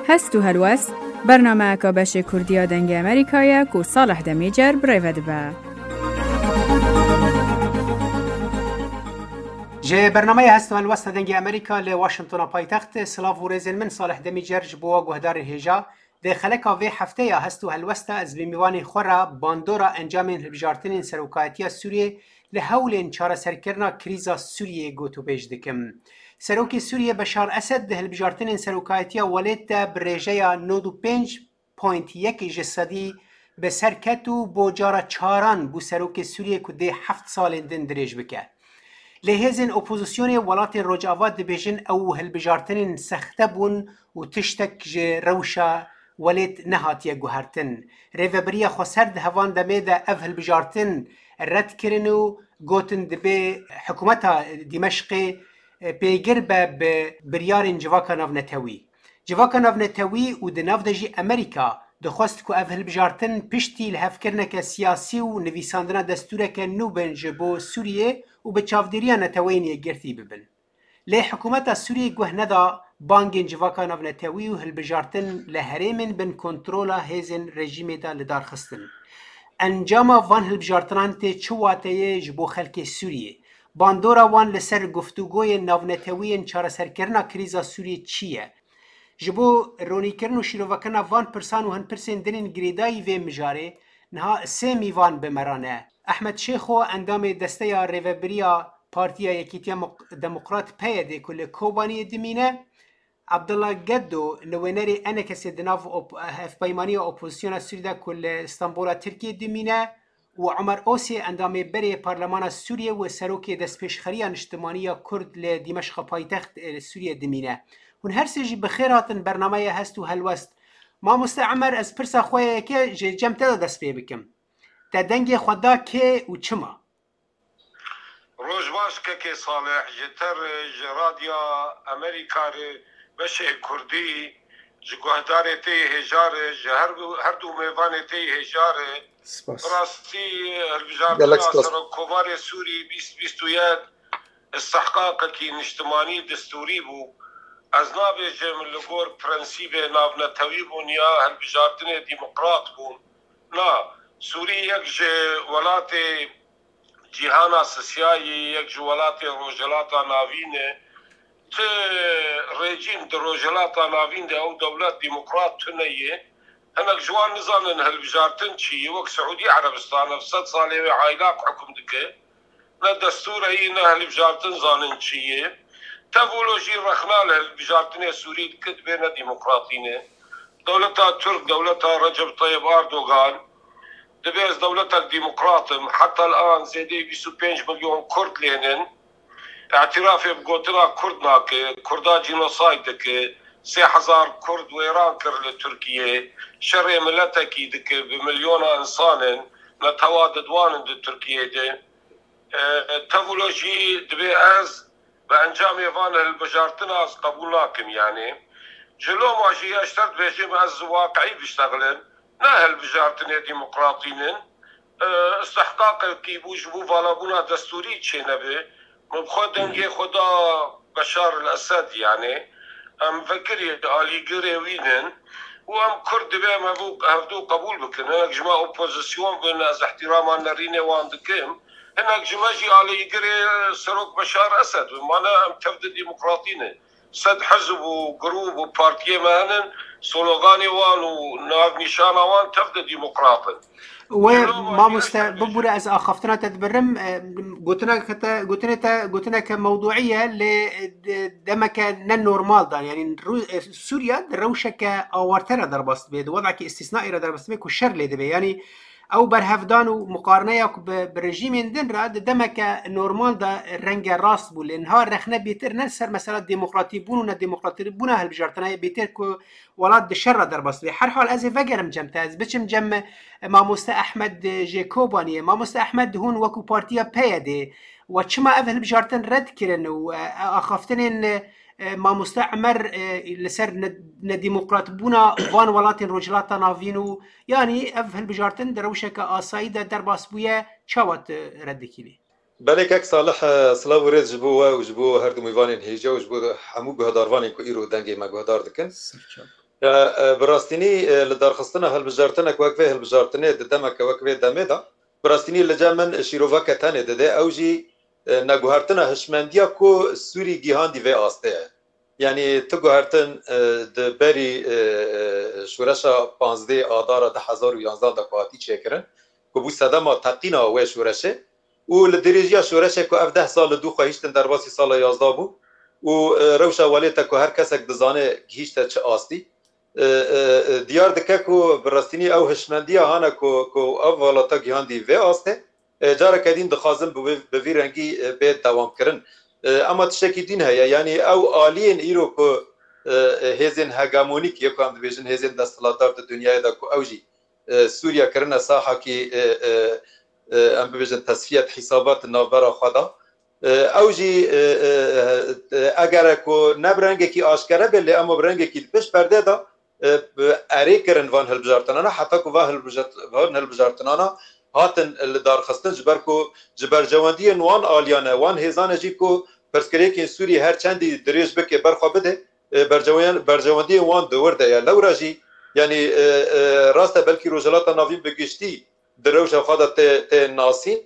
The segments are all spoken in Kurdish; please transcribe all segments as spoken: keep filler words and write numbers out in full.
Hest û helwest, bernameyeka beşê Kurdî ya Dengê Amerîka ye ku Salih Demîcer bi rê ve dibe. Ji bernameya Hest û Helwesta Dengê Amerîka li Washingtona paytext, silav û rêzên min Salih Demîcer ji bo we guhdarên hêja. Di xeleka vê hefteya Hest û Helwesta ez bi mîvanê xwe re bandora encamên hilbijartinên serokayetiya Sûriyê li hewlên çareserkirina krîza Sûriyê gotûbêj dikim. Serokê Sûriyê Beşar Esed di hilbijartinên serokayetiya welêt de bi rêjeya nod û pênc point yek ji sedî bi ser ket û bo cara çaran bû serokê Sûriyê ku dê heft salên din dirêj bike. Lê hêzên opozisyonê welatên Rojava dibêjin ew hilbijartinên sexte bûn û tiştek ji rewşa welêt nehatiye guhertin. Rêvebiriya Xweser di hevan demê de ev hilbijartin red kirin û gotin dibê hikûmeta Dîmeşqê, e, pêgir be bi biryarên civaka navnetewî. Civaka navnetewî û di nav de jî Amerîka dixwest ku ev hilbijartin piştî lihevkirineke siyasî û nivîsandina destûreke nû bin ji bo Sûriyê û bi çavdêriya Neteweyên Yekgirtî bibin. Lê hikûmeta Sûriyê guh neda bangên civaka navnetewî û hilbijartin li herêmên bin kontrola hêzên rejîmê de li dar xistin. Encama van hilbijartinan tê çi wateyê ji bo xelkê Sûriyê? Bandora wan li ser guftûgoyên navnetewî yên çareserkirina krîza Sûriyê çi ye? Ji bo ronîkirin û şîrovekirina van pirsan û hin pirsên din ên girêdayî vê mijarê, niha sê mîvan bi me re ne. Ehmed Şêxo, endamê Desteya Rêvebiriya Partiya Yekîtiya Mok-, Demokrat, P Y D, ku li Kobaniyê dimîne, Abdullah Geddo, nûnerê ENKSê di nav op-, hevpeymaniya opozisyona Sûrî de ku li Stenbola Tirkiyê dimîne, û Omer Osê, endamê berê Parlemana Sûriyê û serokê Destpêşxeriya Niştimanî ya Kurd li Dîmeşqa paytext, e, Sûriyê dimîne. Hûn her sê jî bi xêr hatin bernameya Hest û Helwest. Mamoste Omer, ez pirsa xwe yeke ji cem te de dest pê bikim. Te dengê xwe da kê û çima? Roj baş kekê Salih, ji te re, ji Radya Amerîka re, beşê Kurdî, ji guhdarê te yê hêja re, ji her du, her du mêvanê te yê hêja re. Spas. Bi rastî, hilbijartina Gelek spas. Serokkomarê Sûrî bîst bîst û yek istihqaqekî niştimanî destûrî bû. Ez nabêjim li gor prensîbê navnetewî bûn ya hilbijartinê demokrat bûn. Na, Sûrî yek ji welatê cîhana sisya ye, yek ji welatê Rojhilata Navîn e. Ti rejîm di Rojhilata Navîn de ew dewlet demokrat tune ye. Hinek ji wan nizanin hilbijartin çi ye. Wek Siûdî Erebistan, ev sed salê wê aylak hukm dike. Ne destûr heye, ne hilbijartin zanin çi ye. Tev wilo jî rexna li hilbijartinê Sûrî dike, dibê ne demokratî ne. Dewleta Tirk, dewleta Recep Tayyip Erdogan, dibê ez dewletek demokrat im. Heta li an zêdeyî bîst û pênc milyon Kurd lênin. Îtirafê bi gotina Kurd nake. Kurda cînosayd dike. Sê hezar Kurd wêran kir li Tirkiyê. Şerê miletekî dike. Bi milyona însan in. Netewa didwanin di Tirkiyê de. E, tev wilo jî dibê ez bi encamê van hilbijartina ez qebûl nakim, yanî. Ji loma jî ez ji te dibêjim ez waqiî biştexilim, ne hilbijartinê demokratî nin. E, istihqaqekî bû ji bo valabûna destûrî çênebe. Min bi xwe dengê xwe da Beşar el Esed, yanî. Em vekirî alîgirê wî nin û em Kurd dibê em hevû-, hevdû qebûl bikin. Hinek ji me opozisyon bin, ez îhtîrama nerînê wan dikim. Hinek ji me jî alîgirê Serok Beşar Esed bin. Ma ne em tev di demokratî ne. Sed hizb û grûp û partiyê me henin, sloganê wan û navnîşana wan tev di demokrat in. We, Ji bo mamoste, bibûre ez axaftina te dibirim. E, gotineke te, gotinê te, gotineke mewduî ye, lê, e, de-, demeke ne normal da. Yanî Rû-, e, Sûriye di rewşeke awarte re derbas dibe, di wedekî îstîsnaî re derbas dibe ku şer lê dibe. Yanî ew berhevdan û muqarineya ku bi, bi rejîmên din re di demeke normal de renge rast bû. Lê niha rexne bêtir ne ser mesela demokratîbûn û nedemokratîbûna hilbijartinayê, bêtir ku welat di şer re derbas dibe. Herhal ez ê vegerim cem te, ez biçim cem, e, mamoste Ehmed, e, jê Kobaniyê. Mamoste Ehmed, hûn wekû partiya P Y D we çima ev hilbijartin red kirin û, e, axaftinên, e, e, mamoste Emer, e, li ser ne-, nedemokratbûna van welatên Rojhilata Navîn û, yanî ev hilbijartin di rewşeke asayî de derbas bûye, çawa tu red dikî lê? Belê kek Salih, e, silav û rêz ji bo we û ji bo her du mêvanên hêja û ji bo hemû guhdarvanên ku îro dengê me guhdar dikin. Serçav. Ya, e, bi rastînî, e, li darxistina hilbijartinek wek vê hilbijartinê di demeke wek vê demê de, bi rastînî li cem min şîroveke tenê dide, ew jî, e, neguhertina hişmendiya ku Sûrî gihandî vê astê ye. Yanî tu guhertin, e, di berî, e, e, şoreşa panzdeh Adara du hezar û yanzdeh de ku hatî çêkirin, ku bû sedema teqîna wê şoreşê, û li dirêjiya şoreşê ku ev deh sal li dû xwe hiştin derbasî sala yazdeh bû û, e, rewşa welêt e ku her kesek dizane gihîşte çi astî. E, e, e, diyar dike ku bi rastînî ew hişmendiya hane ku, ku ev welata gihandî vê astê, e, careke din dixwazin bi vê, bi vî rengî, e, bê dewamkirin. E, ema tiştekî din heye, yanî ew aliyên îro ku, e, e, hêzên hegemonîk yê ku em dibêjin hêzên desthilatdar di dinyayê de ku ew jî, e, Sûriye kirine sahakî, e, e, e, em bibêjin tesfiyet hîsabat navbera xwe de. E, ew jî, e, e, e, eger ku ne bi rengekî aşkere be, lê ema bi rengekî di pişt perdê de, e, bi erê kirin van hilbijartinana, heta ku va hilbijart-, van hilbijartinana hatin li darxistin, ji ber ku ji berjewendiyên wan aliyane, wan hêzane jî ku pirsgirêkên Sûrî her çendî dirêj bike, berxwe bide, e, berjewen-, berjewendiyên wan di wir de ye. Lewra jî, yanî, e, e, rast e, belkî Rojhilata Navîn bi giştî di rewşa xwe de tê, tê nasîn.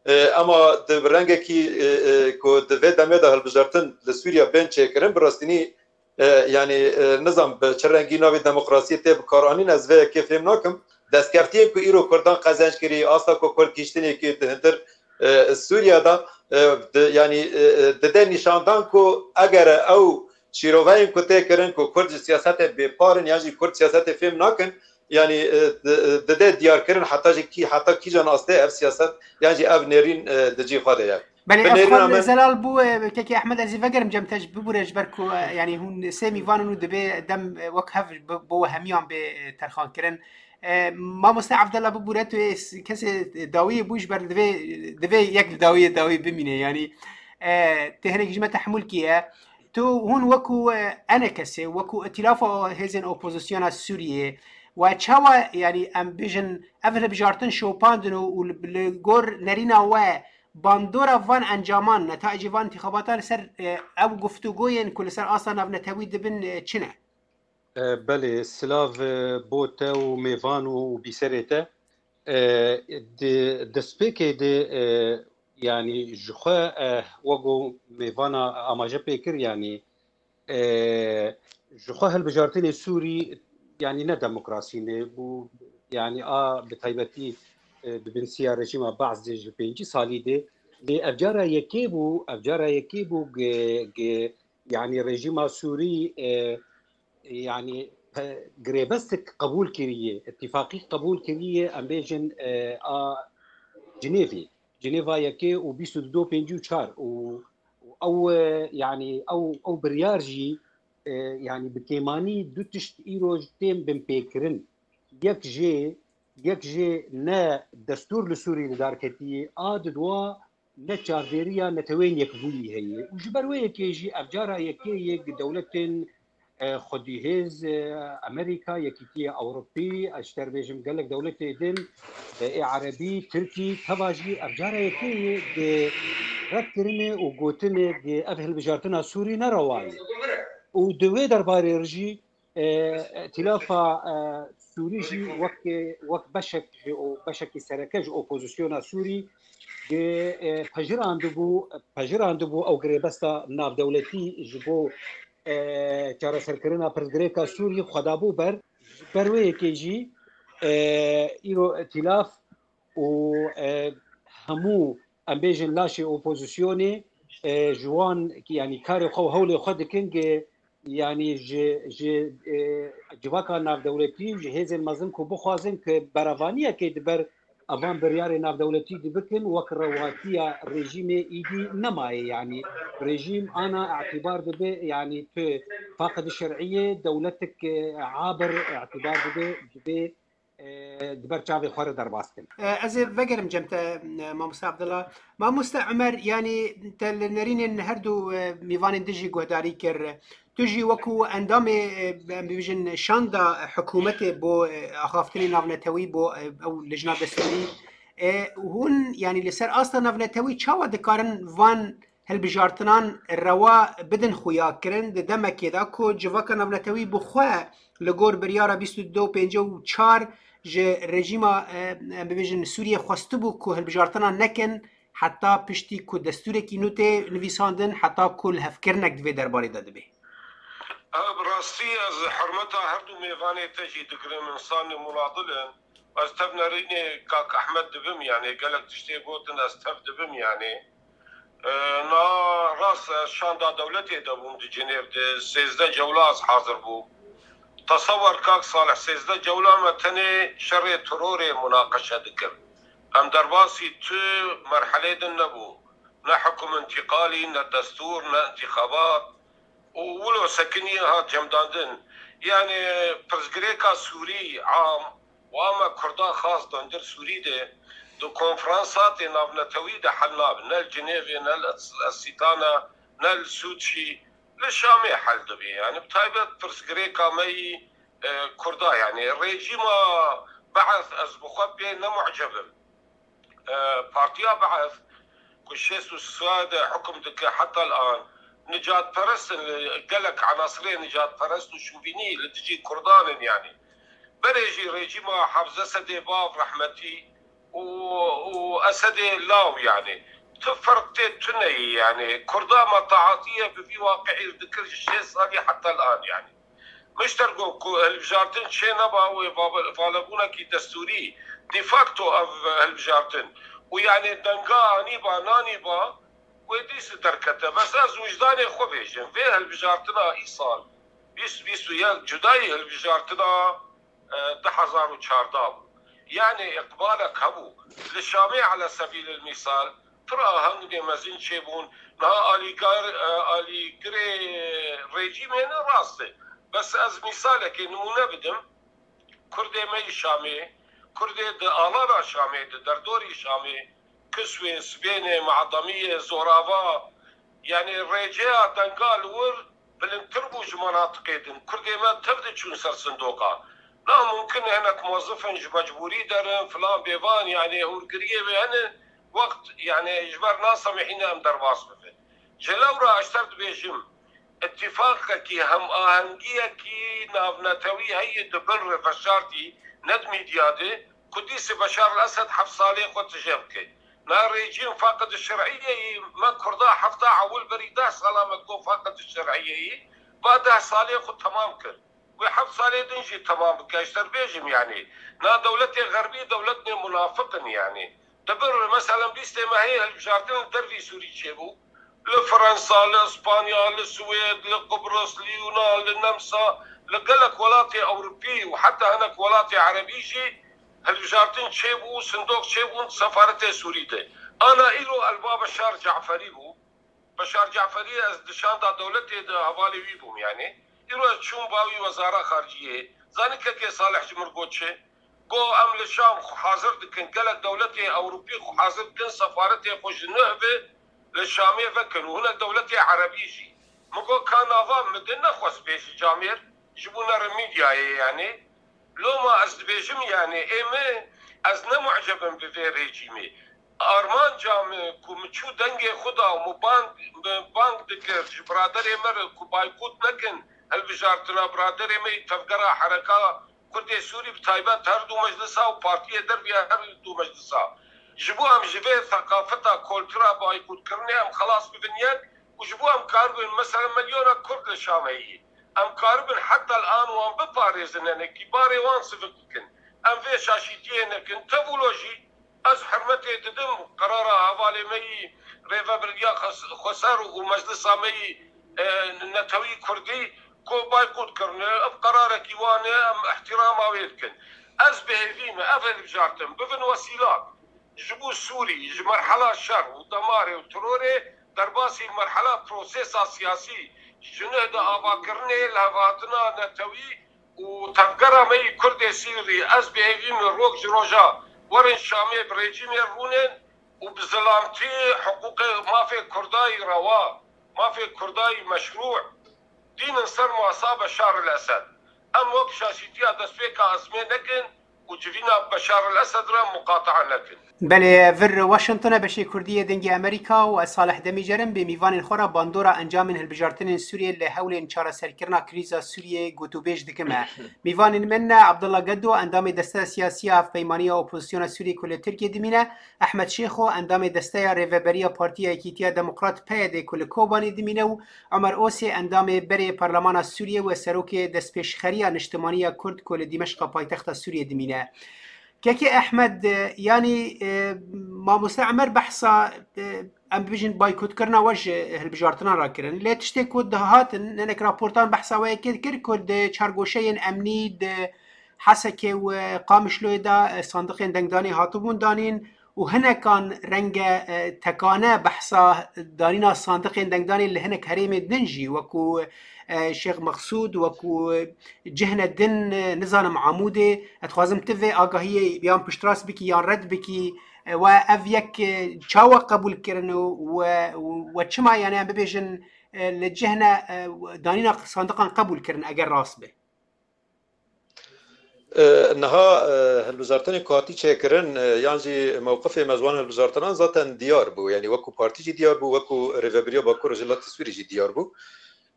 E, ema di rengekî, e, e, ku di vê demê de hilbijartin li Sûriye bên çêkirin, bi rastînî, e, yanî, e, nizam bi çi rengî navê demokrasiyê tê bikaranîn, ez vê yekê fêm nakim. Destkeftiyên ku îro Kurdan qezenc kirî, asta ku Kurd gihîştinê kir di hundir, e, Sûriye de, e, di, yanî, e, e, dide nîşandan ku eger ew şîroveyên ku tê kirin ku Kurd ji siyasetê bêpar in yan jî Kurd siyasetê fêm nakin, yanî, e, di-, e, dide diyarkirin heta jî kî, heta kîjan astê ev siyaset yan jî ev nêrîn, e, di cî xwe de ye. Belê, Bi ev nêrîna xal min zelal bû, e, kekê Ehmed, ez ê vegerim cem te ji bibûre ji ber ku, e, yanî hûn sê mîvan in û dibê dem, e, wek hev bi-, bo hemiyan bê, e, terxan kirin. E, mamoste Evdela bibûre, tu ê s-, kesê dawiyê bû ji ber divê, divê yek li dawiyê dawî bimîne. Yanî, e, tê hinek ji me tehmûl kiriye. Tu hûn wekû, e, enekesê, wekû îtîlafa hêzên opozisyona Sûriyê we çawa, yanî em bijin ev hilbijartin şopandin û, û li, li gor nerîna we bandora van encaman, netayecê van întîxabatan li ser, e, ew guftûgoyên ku li ser asta navnetewî dibin, e, çi ne? E, belê, silav, e, bo te û mêvan û, û bîserê te. E, di destpêkê de, e, yanî ji xwe, e, wek ku mêvana amaje pê kir, yanî, e, ji xwe hilbijartinê Sûrî, yanî ne demokrasî ne bû, yanî a bi taybetî, e, di bin siya rejîma Baas de ji pêncî salî de, lê ev cara yekê bû, ev cara yekê bû ge, ge, yanî rejîma Sûrî, e, yanî pe-, girêbestik qebûl kiriye, îtîfaqî qebûl kiriye, em bêjin, e, a Cinêvê, Cinêva yekê û bîst û du pêncî û çar û, û ew, e, yanî ew, ew biryar jî, e, yanî bi kêmanî du tişt îro tên binpêkirin. Yek jê, yek jê ne destûr li Sûrî li dar ketiye, a didwa ne çavdêriya Netewên Yekbûyî heye û ji ber wê yekê jî ev cara yekê yê dewletên, e, xwedîhêz, e, Amerîka, Yekîtiya Ewropî, ez ji te re bêjim gelek dewletê din, e, ê Erebî, Tirkî, teva jî ev cara yekê yê di red kirinê û gotinê di ev hilbijartina Sûrî ne rewa ye. Û di wê derbarê re jî e, îtîlafa, e, Sûrî jî wek, wek beşek ji o, beşekî sereke ji opozisyona Sûrî gi, e, pejirandibû, pejirandibû ew girêbesta navdewletî ji bo, e, çareserkirina pirsgirêka Sûrî xwe dabû ber. Ji ber wê yekê jî, e, îro îtîlaf û, e, hemû, em bêjin, laşê opozisyonê, e, ji wan, yanî karê xwe û hewlê xwe dikin, ki, yanî ji, ji, e, civaka navdewletî û ji hêzên mezin ku bixwazin ki berevaniyekê di ber evan biryarê navdewletî dibikin, wek rewatiya rejîmê îdî nemaye. Yanî rejîm ana îtîbar dibe, yanî tu faqid şer'iyê, dewletik, e, abir îtîbar dibe, dibe e, di ber çavê xwe re derbas kin. E, ez ê vegerim cem te, e, mamoste Abdullah. Mamoste Ömer, yanî te li nerînên her du, e, mîvanên din jî guhdarî kir. Tu jî wekû endamê, e, em bibêjin şanda hikûmetê bo, e, axaftinê navnetewî bo, e, ew lijna destûrî. E, hûn, yanî li ser asta navnetewî çawa dikarin van hilbijartinan rewa bidin xuyakirin di demekê de ku civaka navnetewî bi xwe li gor biryara bîst û du pêncî û çar ji rejîma, e, em bibêjin Sûriyê xwestibû ku hilbijartina nekin heta piştî ku destûrekî nû tê nivîsandin, heta ku lihevkirinek di vê derbarê de dibe. Ev bi rastî ez hurmeta her du mêvanê te jî digirim, însanê munadil in. Ez tev nerînê kak Ehmed dibim, yanî gelek tiştê gotin ez tev dibim, yanî. E, na rast ez şanda dewletê de bûm di Cinêv de, sêzdeh cewla ez hazir bûm. Tesewwer kak Salih, sêzdeh cewla me tenê şerê terorê munaqeşe dikir. Em derbasî tu merhelê din nebû. Ne hukm întîqalî, ne destûr, ne întîxabat. Û wilo sekinî hat cemdandin. Yanî pirsgirêka Sûrî am û a me Kurda xas dondir Sûrî de di konferansatê navnetewî de hel nabe. Ne li Cinêvê, ne li Esîtana, ne li Sûçî, li Şamê hel dibe. Yanî bi taybet pirsgirêka me yî, e, Kurda, yanî rejîma Be'es ez bi xwe pê ne muceb im. E, Partiya Be'es ku şêst û sê de hukm dike heta lan, nicatperest in, gelek enasirê nicatperest û şovînî li dijî Kurdan in, yanî. Berê jî rejîma Hafze Sedê Bav rehmetî û, û Esedê Law, yanî. Tu ferq tê tuneyî, yanî. Kurda me taatiye bi vî waqiî dikir ji şêst salî heta lan, yanî. Mişter got ku hilbijartin çê neba wê val-, valebûnekî destûrî, de facto ev hilbijartin û yanî denga anîba nanîba wê dîs derkete. Bes ez wijdanê xwe bêjim, vê hilbijartina îsal bîst bîst û yek cudayî hilbijartina, e, du hezar û çardeh bû. Yanî îqbalek hebû. Li Şamê ele sebîlil mîsal, pir ahengê mezin çêbûn. Niha alîgar, e, alîgirê rejîmê ne rast e. Bes ez mîsalekê nimûne bidim. Kurdê me yî Şamê, Kurdê di alana Şamê, di derdorî Şamê, Kiswê, Sibênê, Me'demiyê, Zorava, yanî rêceya denga li wir bilindtir bû ji menatiqê din. Kurdê me tev diçûn ser sindoqa. Na mumkin e hinek muwezifin ji mecbûrî derin, filan bêvan, yanî hûrgiriyê wê hene, wext, yanî ji ber nasemihîne em derbas bibin. Ji lewra ez ter dibêjim, îtîfaqekî, hemahengiyekî navnetewî heye di bin rê veşartî, ne di mîdya de, ku dîsê Beşar el Esed heft salê xwe tije bike. Na rejîm faqid şer'iyeyî, me Kurda hefta ewil berî deh sala me got faqid şer'iyeyî, va deh salê xwe temam kir. Wê heft salê din jî temam bike, ez ter bêjim, yanî. Na dewletê xerbî dewletnê munafiq in, yanî. Di bin re, meselen, bîstê mehê hilbijartin li dervî Sûrî çêbû. Li Fransa, li Îspanya, li Swêd, li Qubris, li Yunan, li Nemsa, li gelek welatê Ewropî û heta hinek welatê Erebî jî hilbijartin çêbû, sindok çêbûn di sefaretê Sûrî de. Ana îro elba Beşar Caferî bû. Beşar Caferî ez di şanda dewletê de hevalê wî bûm, yanî. Îro ez çûm ba wî wezara xariciyê. Zanî kekê Salih ji min got çi? Got, em li Şam xwe hazir dikin, gelek dewletê Ewropî xwe hazir dikin, sefaretê xwe ji nuh ve li Şamê vekin û hinek dewletê Erebî jî. Min got, ka nava min din nexwest bêjî camêr, ji bo nerin mîdyayê, yanî. Loma ez dibêjim, yanî, ê min, ez ne muceb im bi vê rejîmê. Armanca min ku min çû dengê xwe da û min bang, min bang dikir ji biraderê me re ku baykot nekin hilbijartina biraderê me yî tevgera hereka Kurdê Sûrî, bi taybet her du meclisa û partiyê dervî her du meclisa. Ji bo em ji vê seqafeta koltura baykotkirinê em xelas bibin yek û ji bo em karibin, mesela, milyona Kurd li Şamê yî. Em karibin heta li an wan biparêzin, yanî kî barê wan sivik bikin. Em vê şaşîtiyê nekin. Tevûlo jî ez hurmetê didim qerara hevalê me yî Rêvebiriya Xes-, Xweser û meclisa me yî, e, netewî Kurdî ku baykot kirine. Ev qerarekî wan e, em îhtîrama wê dikin. Ez bi hêvî me, ev hilbijartin bibin wesîlak ji bo Sûrî, ji merhela şer û demarê û terorê derbasî merhela prosesa siyasî, ji nuh de avakirinê, lihevhatina netewî û tevgera me yî Kurdê Sûrî, ez bi hêvî me rok ji roja werin Şamê bi rejîmê rûnin û bi zilamtî hiqûqê mafê Kurda yî rewa, mafê Kurda yî meşrû dînin ser masa Beşar el Esed. Em wek şaşîtiya destpêka ezmê nekin û civîna Beşar el-Esed re muqatea nekin. Belê, vir Washington e, beşê Kurdî yê Dengê Amerîka û ez Salih Demîcer im, bê mîvanên xwe re bandora encamên hilbijartinên Sûriyê li hewlên çareserkirina krîza Sûriyê gotûbêj dikim e. Mîvanên min ne Abdullah Gedo, endamê Desteya Siyasî ya Hevpeymaniya Opozisyona Sûriyê ku li Tirkiyê dimîne, Ehmed Şêxo, endamê Desteya Rêveberiya Partiya Yekîtiya Demokrat, P Y D, ku li Kobanê dimîne û Omer Osê, endamê berê Parlemana Sûriyê û serokê Destpêşxeriya Niştimanî ya Kurd ku li Dîmeşqa paytexta Sûriyê dimîne. Kekê Ehmed, e, yanî, e, mamoste Emer behsa, e, em bibêjin baykotkirina we ji hilbijartinan re kirin. Lê tiştê ku dihatin, hinek raportan behsa we yekê dikir ku di çargoşeyên emnî di Hesekê û Qamişloyê de, e, sandiqên dengdanê hatibûn danîn û hinekan renge, e, tekane behsa danîna sandiqên dengdanê li hinek herêmên din jî, wekû, e, Şêx Mexsûd, wekû cihne din, e, nizanim Amûdê. Ez dixwazim tu vê agahiyê yan piştrast bikî yan red bikî. E, we ev yek, e, çawa qebûl kirin û we, we çima, yani, em bibêjin, e, li cihne, e, danîna sandiqan qebûl kirin eger rast be? E, niha, e, hilbijartinê ku hatî çêkirin, e, yan jî mewqifê me ji wan hilbijartinan zaten diyar bû. Yanî wekû partî jî diyar bû, wekû Rêveberiya Bakur Rojhilatê Sûrî jî diyar bû.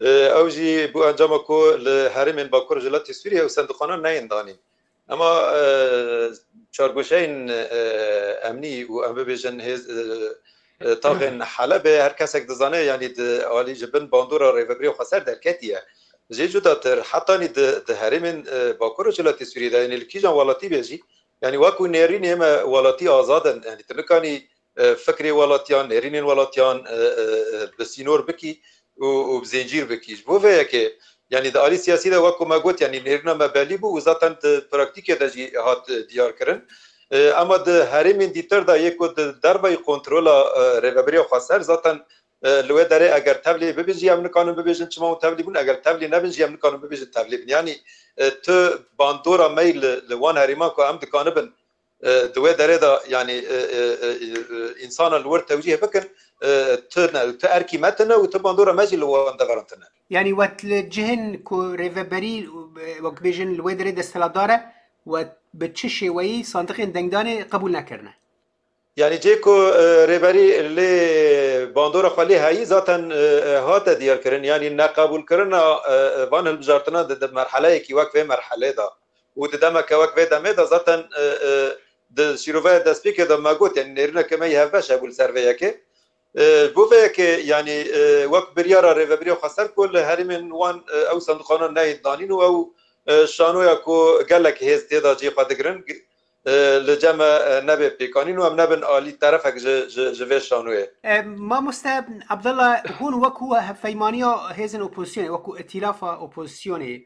E, ew jî bû encama ku li herêmên Bakur Rojhilatê Sûrî ew sendiqanan neyên danîn. Ema, e, çargoşeyên, e, emnî û em bibêjin hêz, e, e, taxên Helebê her kesek dizane, yanî di alî ji bin bandora Rêveberiya Xweser derketiye. Jê cudatir, hetanî di, di herêmên, e, Bakur Rojhilatê Sûriyê de, yanî li kîjan welatî be jî, yanî wekû nêrînê me welatî azad in, yanî tu nikanî, e, fikrê welatiyan, nêrînên welatiyan, e, e, e, bi sînor bikî û, û bi zêncîr bikî. Ji bo vê yekê, yanî di alî siyasî de wekû me got, yanî nêrîna me belî bû û zaten di praktîkê de jî hat, e, diyar kirin. E, ema di herêmên dîtir de yê ku di derveyî kontrola, e, Rêveberiya Xweser zaten, e, li wê derê eger tevlî bibin jî em nikanin bibêjin çima hûn tevlî bûn, eger tevlî nebin jî em nikanin bibêjin tevlî bin. Yanî, e, tu bandora me yî li, li wan herêman ku em dikanibin, e, di wê derê de, yanî, e, e, e, e, însana li wir tewcîh bikin, e, tu ne, tu erkî me tune û tu bandora me jî li wan deveran tune. Yanî wet li cihên ku rêveberî, e, wek bêjin li wê derê desthilatdar e, wet bi çi şêweyî sandiqên dengdanê qebûl nekirine? Yanî cê ku, e, rêberî lê bandora xwe lê heyî zaten, e, e, hate diyarkirin. Yanî neqebûlkirina, e, e, van hilbijartinan di, di merheleyekî wek vê merhelê de û di demeke wek vê demê de zaten, e, e, di şîroveya destpêkê de me got, yanî nêrîneke me yî hevbeş hebû li ser vê yekê. E, bo vê yekê, yanî, e, wek biryara Rêveberiya Xweser ku li herêmên wan, e, ew sendiqanan neyên danîn û ew, e, şanoya ku gelek hêz tê de cê xwe digirin, e, li cem me, e, nebe pêkanîn û em nebin alî terefek ji, ji, ji vê şanoyê. E, mamoste Abdullah, hûn wekû hevpeymaniya hêzên opozisyonê, wekû îtîlafa opozisyonê,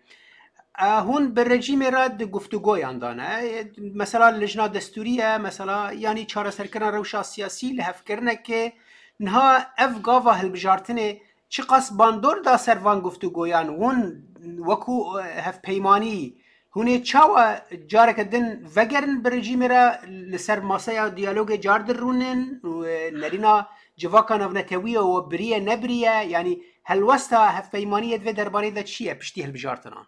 e, hûn bi rejîmê re di guftûgoyan de ne. E, mesela lijna destûrî ye, mesela, yanî çareserkirina rewşa siyasî, lihevkirinekê. Niha ev gava hilbijartinê çiqas bandor da ser van guftûgoyan? Hûn wekû, e, hevpeymanî, hûn ê çawa careke din vegerin bi rejîmê re, li ser maseya diyalogê car dirûnin û, e, nerîna civaka navnetewî ye û biriye nebiriye? Yanî helwesta hevpeymaniyê di vê derbarê de çi ye piştî hilbijartinan?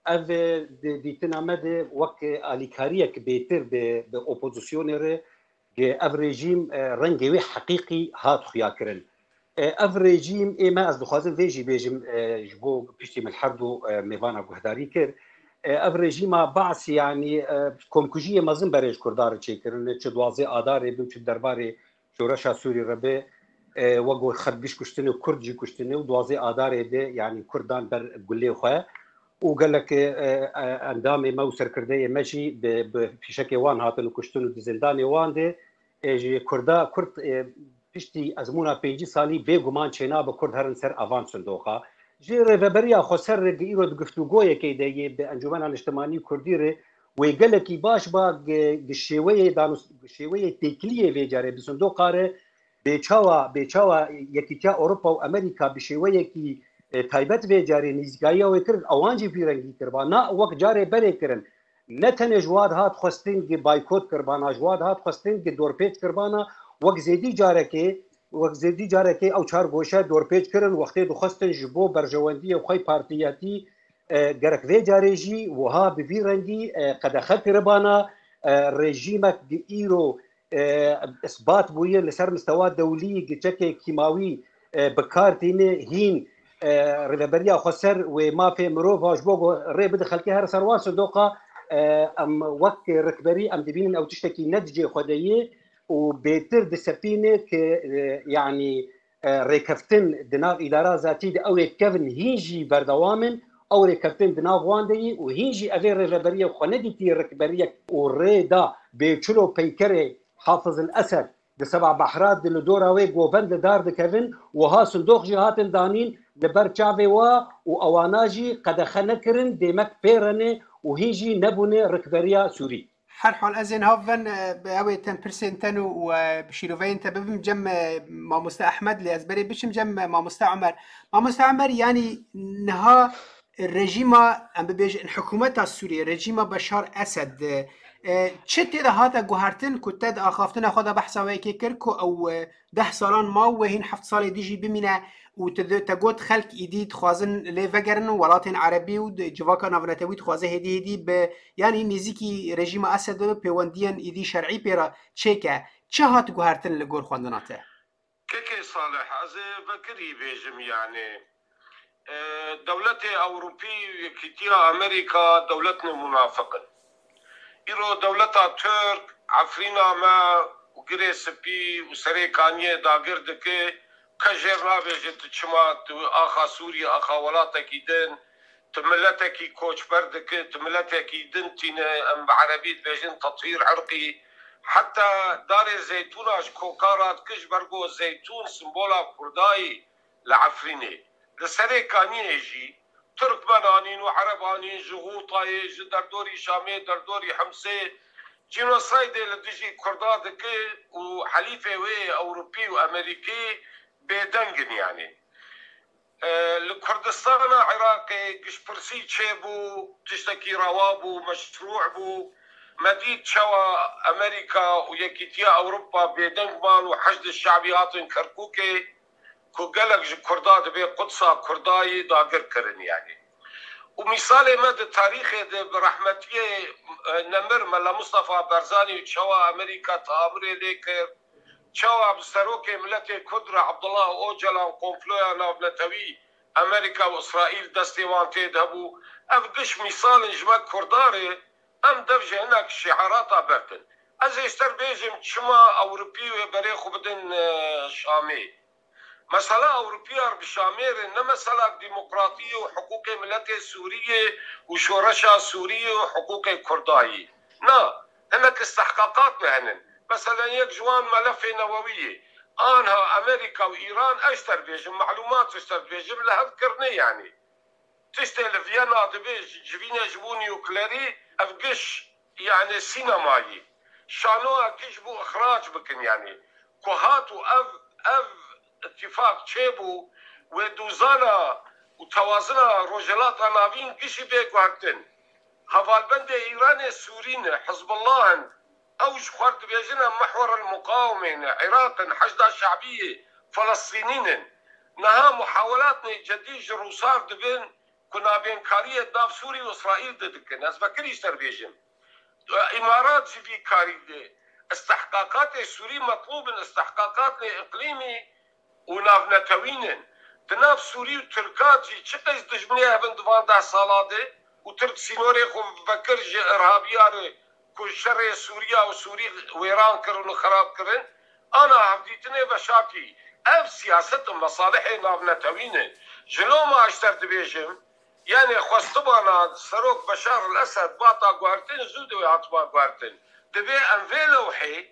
Ev, e, di dîtina me de wek alîkariyek bêtir bi, bi opozisyonê re, e, ev rejîm, e, rengê wê heqîqî hat xuya kirin. E, ev rejîm, ê me, ez dixwazim vê jî bêjim, e, ji bo piştî min her du, e, mêvana guhdarî kir. E, ev rejîma Baas, yanî, e, komkujiyê mezin berê ji Kurdan re çêkirine, çi duwazdeh Adarê bin, çi derbarê şoreşa Sûrî re be, e, wek got xet giş kuştine, Kurd jî kuştine û duwazdeh Adarê de, yanî Kurd dan ber gulê xwe û gelek, e, e, endamê me û serkirdeyê me jî bi, bi fîşekê wan hatin û kuştin û di zindanê wan de, e, ji Kurda, Kurd, e, piştî ezmûna pêncî salî bêguman çênabe Kurd herin ser avan sindoqa. Ji Rêveberiya Xweser re gi îro di guftûgoyekê de yê bi Encûmena Niştimanî Kurdî re wê gelekî baş ba gi, gi şêweyê danûs-, gi şêweyê têkiliyê vê carê bi sindoqa re bê çawa, bê çawa Yekîtiya Ewropa û Amerîka bi şêweyekî, e, taybet vê carê nîzîkayiya wê kir, ewan jî vî rengî kiriba. Na wek carê berê kirin. Ne tenê ji wa dihat xwestin gi baykot kiribana, ji wa dihat xwestin gi dorpêç kiribana, wek zêdî carekê, wek zêdî carekê ew çar goşe dorpêç kirin, wextê dixwestin ji bo berjewendiyê xwe partiyetî, e, gerek vê carê jî wiha bi vî rengî, e, qedexe kiribana, e, rejîmek gi îro, e, isbat bûye li ser mistewa dewlî gi çekê kîmawî, e, bi kar tîne hîn, e, rêveberiya xweser wê mafê mirov a ji bo ku rê bide xelkê here ser wan sindoqa, e, em wek rikberî em dibînin ew tiştekî ne di cihê xwe de ye û bêtir disepîne ki, e, yanî, e, rêkeftin di nav îdara zatî de ew ê kevin hîn jî berdewam in, ew rêkeftin di nav wan de yî û hîn jî evê rêveberiyê xwe nedîtî rikberiyek û rê da bê çilo peykerê Hafiz el Esed di seba behra di li dora wê govend li dar dikevin, wiha sindoq jî hatin danîn li ber çavê wa û ewana jî qedexe nekirin, dêmek pê re ne û hîn jî nebûne rikberiya Sûrî. Her hal ez ên hav ven, e, bi ew ê ten pirsên ten û, û, e, bi şîroveyên te bibim cem, e, mamoste Ehmed, lê ez berê biçim cem, e, mamoste Omer. Mamoste Omer, yanî niha rejîma, em bibêjin hikûmeta Sûriyê, rejîma Beşar Esed, e, çi tê de hate guhertin ku te di axaftina xwe de behsa wê yekê kir ku ew, e, deh salan ma û wê hîn heft salê dî jî bimîne û tu di-, te got xelk îdî dixwazin lê vegerin û welatên erebî û di-, civaka navnetewî dixwaze hêdî hêdî bi, yanî nêzîkî rejîma Esed bibe, pêwendiyên îdî şer'î pê re çêke. Çi hat guhertin li gor xwendina te? Kekê Salih, ez ê vekirî bêjim, yanî, e, dewletê Ewropî û Yekîtiya Amerîka dewletnê munafiq in. Îro dewleta Tirk Efrîna me û Girê Spî û Serê Kaniyê dagir dike, kes jê re nabêje tu çima tu axa Sûriyê, axa welatekî din, tu miletekî koçber dike, tu miletekî din tîne, em bi erebî dibêjin tetyîr irqî. Heta darê zeytûna ji koka radike, ji ber ku zeytûn simbola Kurdayî li Efrînê. Li Serê Kaniyê jî Tirkmen anîn û Ereb anîn, ji Xûtayê, ji derdorî Şamê, derdorî Himsê, cînosaydê li dijî Kurda dike û helîfê wê Ewropî û Amerîkî bêdeng in, yanî. E, li Kurdistana Iraqê giştpirsî çêbû, tiştekî rewa bû, meşrû bû. Me dît çawa Amerîka û Yekîtiya Ewropa bêdeng man û Heşdê Şebî hatin Kerkûkê, ku gelek ji Kurda dibê Qudsa Kurdayî dagir kirin, yanî. Û mîsalê me di tarîxê de bi rehmetiyê, e, nemir Mela Mustafa Barzanî û çawa Amerîka teamirê lê kir, çawa bi serokê miletê Kurd re Abdullah Ocalan komploya navnetewî Amerîka û Îsraîl destê wan tê de bû. Ev giş mîsal in ji me Kurda re, em dev ji hinek şiarata berdin. Ez ê ji te re bêjim çima Ewropî wê berê xwe bidin, e, Şamê. Mesela Ewropiya bi Şamê re ne mesela demokratiyê û hiqûqê miletê Sûriyê û şoreşa Sûriyê û hiqûqê Kurdayî. Na, hinek istihqaqat me henin. Mesela yek ji wan melefê newewî ye. Anha Amerîka û Îran, ez ji te re bêjim, melûmat ji te re bêjim, li hev kirine, yanî. Tiştê li Viyana dibê ji, civîne ji bo nuklerî, ev giş, yanî sînemayî. Şanoya giş bû ixrac bikin, yanî. Ku hat û ev, ev îtîfaq çêbû, wê dozana û tewazina Rojhilata Navîn gişî bê guhertin. Hevalbendê Îranê Sûrî ne, Hizbullah in, ew ji xwe re dibêjin em mihwer el muqawimê ne, Iraq in, Heşda Şebî ye, Felestînî ne. Niha muhawelatnê cedî ji Rûsar dibin ku navbênkariyê di nav Sûrî û Îsraîl de dikin. Ez vekirî ji te re bêjim. Îmarat jî vî karî dê. Istihqaqatê Sûrî metlûb in, istihqaqatê îqlîmî û navnetewî ne. Di nav Sûrî û Tirka jî çi qeys dijminê hev in di van deh sala de û Tirk sînorê xwe vekir ji irhabiya re ku şerê Sûriya û Sûrî wêran kirin û xerab kirin, ana hevdîtinê veşartî. Ev siyaset û mesalihê navnetewî ne. Ji loma ez ji te re dibêjim, yanê xwestibana serok Beşar el Esed bata guhertin, zû de wê hatiba guhertin. Divê em vê lewhê,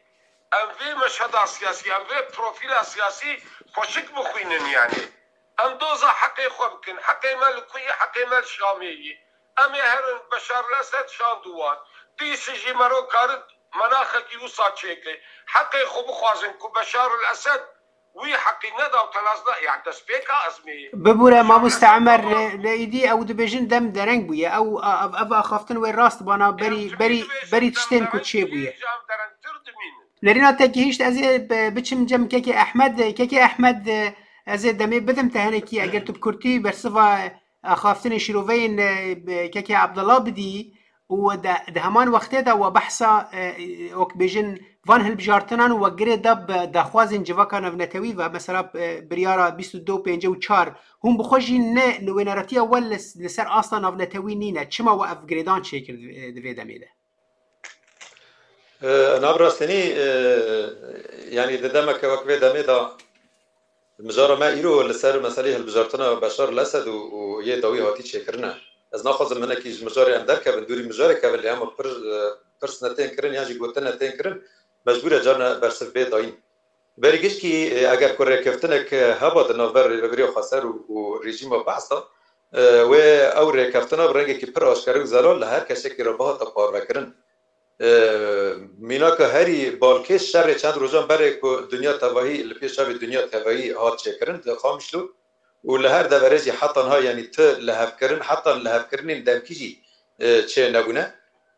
em vê meşheda siyasî, em vê profîla siyasî xweşik bixwînin, yanî. Em doza heqê xwe bikin. Heqê me li ku yî? Heqê me li Şamê yî. Em ê herin Beşar el Esed şand û wan. Dîsî jî mero karin menaxekî wisa çêke. Heqê xwe bixwazin ku Beşar el Esed wî heqî neda û tenas da, yani destpêka ezmê. Bibûre mamoste Emer, lê, lê îdî ew dibêjin dem dereng bûye. Ew, a, ev, ev axaftin wê rast bana berî, berî, berî tiştên ku çê bûye. Em derengtir dimînin. Nerîna te gihîşt, ez ê bi-, biçim cem kekê Ehmed. Kekê Ehmed, ez ê demê bidim te henekî, eger tu bi kurtî bersiva axaftinê şîroveyên, e, bi-, kekê Abdullah bidî. û di heman wextê de we behsa, e, wek bêjin, van hilbijartinan û we girê da bi daxwazên civaka navnetewî ve, mesela, e, biryara bîst û du û pêncî û çar, hûn bi xwe jî ne li wêneratiya we li, li ser asta navnetewî nîne. Çima we ev girêdan çêkir di, di vê demê de? E, na bi rastînî, e, yanî di demeke wek vê demê de mijara me îro li ser meselê hilbijartina Beşar el-Esed û, û yê dawî hatî çêkirine. Ez naxwazim hinekî ji mijarê em derkevin, dûrî mijarê kevin, lê hema pir, e, pirs ne tên kirin yan jî gotin ne tên kirin, mecbûr e carna bersiv bê dayîn. Berî gişkî, e, eger ku rêkeftinek, e, heba di navber Rêveberiya Xweser û, û rejîma Be'sa, e, wê ew rêkeftina bi rengekî pir aşkere û zelal li her kesekî re bihata parvekirin. E, mînaka herî balkêş şerê çend rojan berê ku dinya tevahî, li pêş çavê dinya tevahî hat çêkirin di Qamişlo û li her deverê jî heta niha, yanî ti lihevkirin, heta lihevkirinên demkî jî, e, çê nebûne.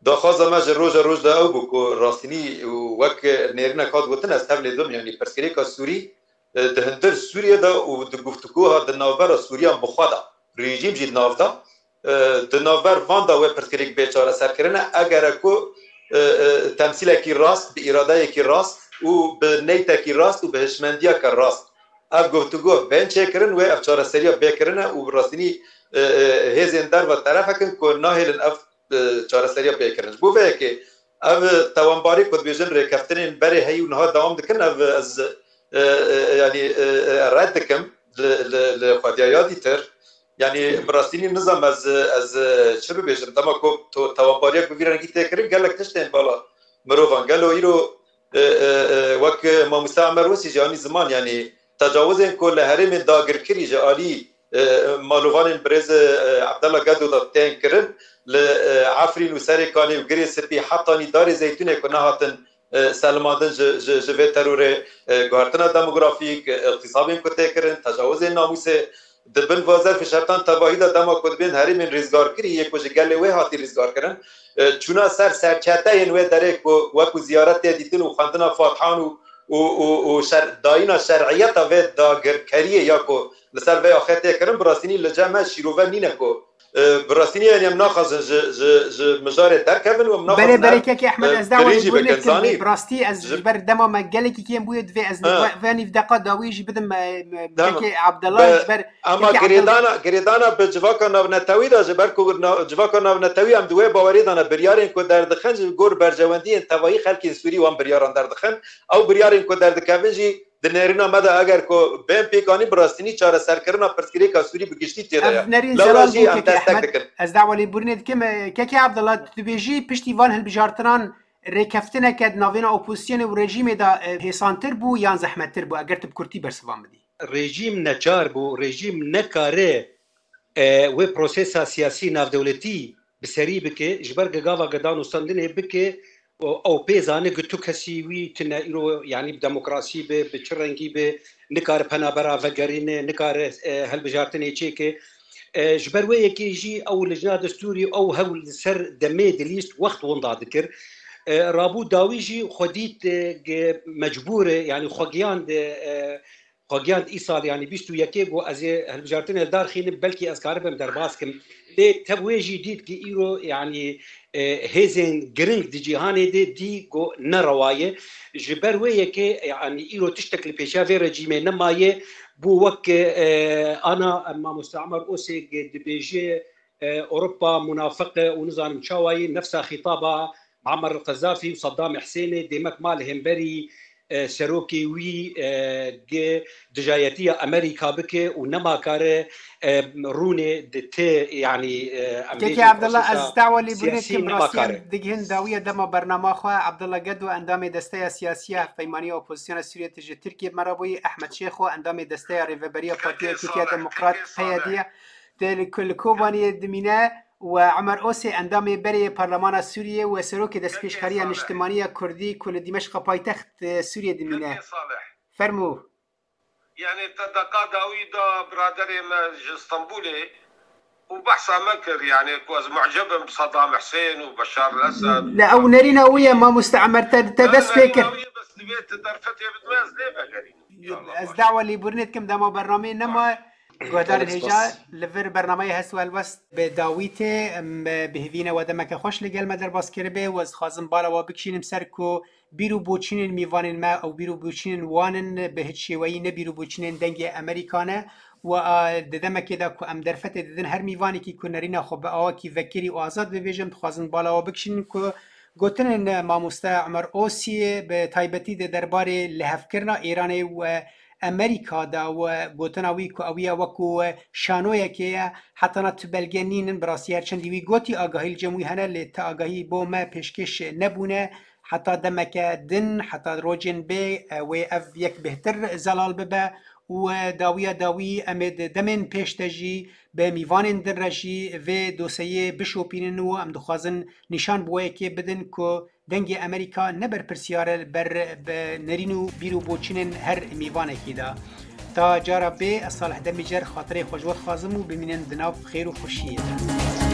Daxwaza me ji roja roj de ew bû ku rastînî û wek nêrînek hat gotin, ez tevlê dim, yanî pirsgirêka Sûrî, e, di hundir Sûriyê de û di guftûgoha di navbera Sûriyan bi xwe de, rejîm jî di nav de, e, di navber van de wê pirsgirêk bê çareserkirine, eger e ku, e, e, temsîlekî rast, bi îradeyekî rast û bi neytekî rast û bi hişmendiyeke rast ev guftûgo bên çêkirin, wê ev çareseriya bê kirine û bi rastînî, e, e, hêzên derve terefekin ku nahêlin ev, e, çareseriya bê kirin. Ji bo vê yekê ev tewanbarî ku dibêjin rêkeftinên berê heyî û niha dewam dikin, ev ez, e, e, yanî, e, e, red dikim li, li, li xwediya ya dîtir. Yanî bi rastî nî nizam ez, ez çi bibêjim. Dema ku to tewanbariyek bi vî rengî tê kirin, gelek tiştên bala mirovan. Gelo îro, e, e, e, wek Mamoste Emer Wesî jî anî ziman, yanî tecawizên ku li herêmên dagirkirî ji alî, e, malovanên birêz, e, Abdullah Gedo de tên kirin, li, e, Efrîn û Serê Kanê û Girê Spî, hetanî Darê Zeytûnê ku nehatin, e, selimandin ji, ji, ji vê terorê, e, guhertina demografîk, e, îxtîsabên ku tê kirin, tecawizên namûsê, di bin va zerfê şertan tevahî de dema ku dibên herêmên rêzgarkirî yê ku ji gelê wê hatî rêzgarkirin, e, çûna ser serçeteyên wê derê ku wekû ziyaret tê dîtin û xwendina fatihan û, û, û, û şer-, dayîna şer'iyeta vê dagirkeriyê ya ku li ser vê axê tê kirin, bi rastînî li cem me şîrove nîne ku, e, bi rastînî, yanî em naxwazin ji, ji, ji mijarê derkevin û em naxwazin Belê, belê, ev, kekê Ehmed, e, ez dawayê birîn jî bû bikin. Zanî, nezî, bi rastî ez ji, ji ber dema me gelekî kêm bûye, divê ez Ha. ve-, venî deqa dawî jî bidim, e, me, Dema, kekê Abdullah, be, ji ber ama kekê Abdullah girêdana, girêdana bi civaka navnetewî de, ji ber ku na-, civaka navnetewî em di wê bawerî de ne, biryarên ku derdixin ji gor berjewendiyên tevahî xelkên Sûrî wan biryaran derdixin. Ew biryarên ku derdikevin jî di nêrîna me de eger ku bên pêkanîn, bi rastînî çareserkirina pirsgirêka Sûrî bi giştî tê de ye. Ev nerîn Lewra zelal jî bû, em kekê destek Ehmed. Dikin. Ez dawalî bûrinê dikim, e, kekê Abdullah, tu dibêjî piştî van hilbijartinan rêkeftineke di navêna opozîsyonê û rejîmê de, e, hêsantir bû yan zehmettir bû? Eger tu bi kurtî bersivan bidî. Rejîm neçar bû, rejîm nekare, e, wê prosesa siyasî navdewletî bi serî bike, ji ber gava ge danûstandinê bike, û ew pê zane ku tu kesî wî tune îro, yanî bi demokrasî be, bi çi rengî be, nikare penabera vegerîne, nikare, e, hilbijartinê çêke. E, ji ber wê yekê jî ew lijna destûrî, ew hewl li ser demê dilîst, wext winda dikir. E, rabû dawî jî xwe dît, e, ge-, mecbûr e, yanî xwe giyand, e, xwe giyand îsal, yanî bîst û yekê got, ez ê hilbijartinê li dar xînim, belkî ez karibim derbas kim. Lê tev wê jî dît ki îro, yanî, e, hêzên giring di cîhanê de dî got ne rewa ye. Ji ber wê yekê, yanî îro tiştek li pêşiya vê rejîmê nemaye. Bû wek, e, ana Mamoste Emer Osê dibêje, e, Ewropa munafiq e û nizanim çawa ye, nefsa xîtaba Muammer el-Qezafî û Saddam Husênê, dêmek ma li hemberî, e, serokê wî, e, gi dijayetiya Amerîka bike û nema kare, e, rûnê di ti, yanî, e, em Kekê bêjin Abdullah, prosesa ez dawalî siyasî bûnê kim nema rastî kare. Em digihin dawiya dema bernama xwe. Abdullah Gedo, endamê Desteya Siyasî ya Hevpeymaniya Opozisyona Sûriyê, tu ji Tirkiyê bi me re bûyî, Ehmed Şêxo, endamê Desteya Rêveberiya Partiya Yekîtiya Demokrat, P Y D, tê li, li Kobaniyê dimîne û Emer Osê, endamê berê yê Parlemana Sûriyê û serokê Destpêşxeriya Niştimanî ya Kurdî ku li Dîmeşqa paytext, e, Sûriyê dimîne. Fermû. Yanî te deqa dawî da biraderê me ji Stenbolê û behsa me kir, yanî ku ez mucib im bi Saddam Husên û Beşar el-Esed û Ne, ew nerîna wî ye, mamoste Emer, te, te dest pê kir. Bes divê tu derfetê bidime, ez lê vegerînim. Ez dawa lêbûrinê dikim, dema bernameyê nema. Guhdarên hêja, li vir bernameyê Hest û Helwest bi dawî tê. Em bi hêvî ne we demeke xweş li gel me derbas kiribe û ez dixwazim bala we bikişînim ser ku bîr û boçînên mîvanên me ew bîr û boçînên wan in, bi hiç şêweyî ne bîr û boçînên Dengê Amerîka ne. Û, a, di demekê de ku em derfetê didin her mîvanekî ku nerîna xwe bi awakî vekirî û azad bibêjim, dixwazin bala we bikişînin ku gotinên mamoste Omer Osiyê bi taybetî di derbarê lihevkirina Îranê û Amerîka de û gotina wî ku ew ya wekû şanoyekê ye, hetana tu belge nînin, bi rastî her çendî wî gotî agahî li cem wî hene, lê ti agahî bo me pêşkêş nebûne. Heta demeke din, heta rojên bê, e, wê ev yek bêhtir zelal bibe û, e, dawiya dawî em ê di demên pêş de jî bi mîvanên din re jî vê doseyê bişopînin û em dixwazin nîşan bi we yekê bidin ku Dengê Amerîka ne berpirsiyar e ber bi nerîn û bîr û boçînên her mîvanekî de. Ta cara bê, ez Salih Demîcer xatirê xwe ji we dixwazim û bimînin di nav xêr û xweşiyê de.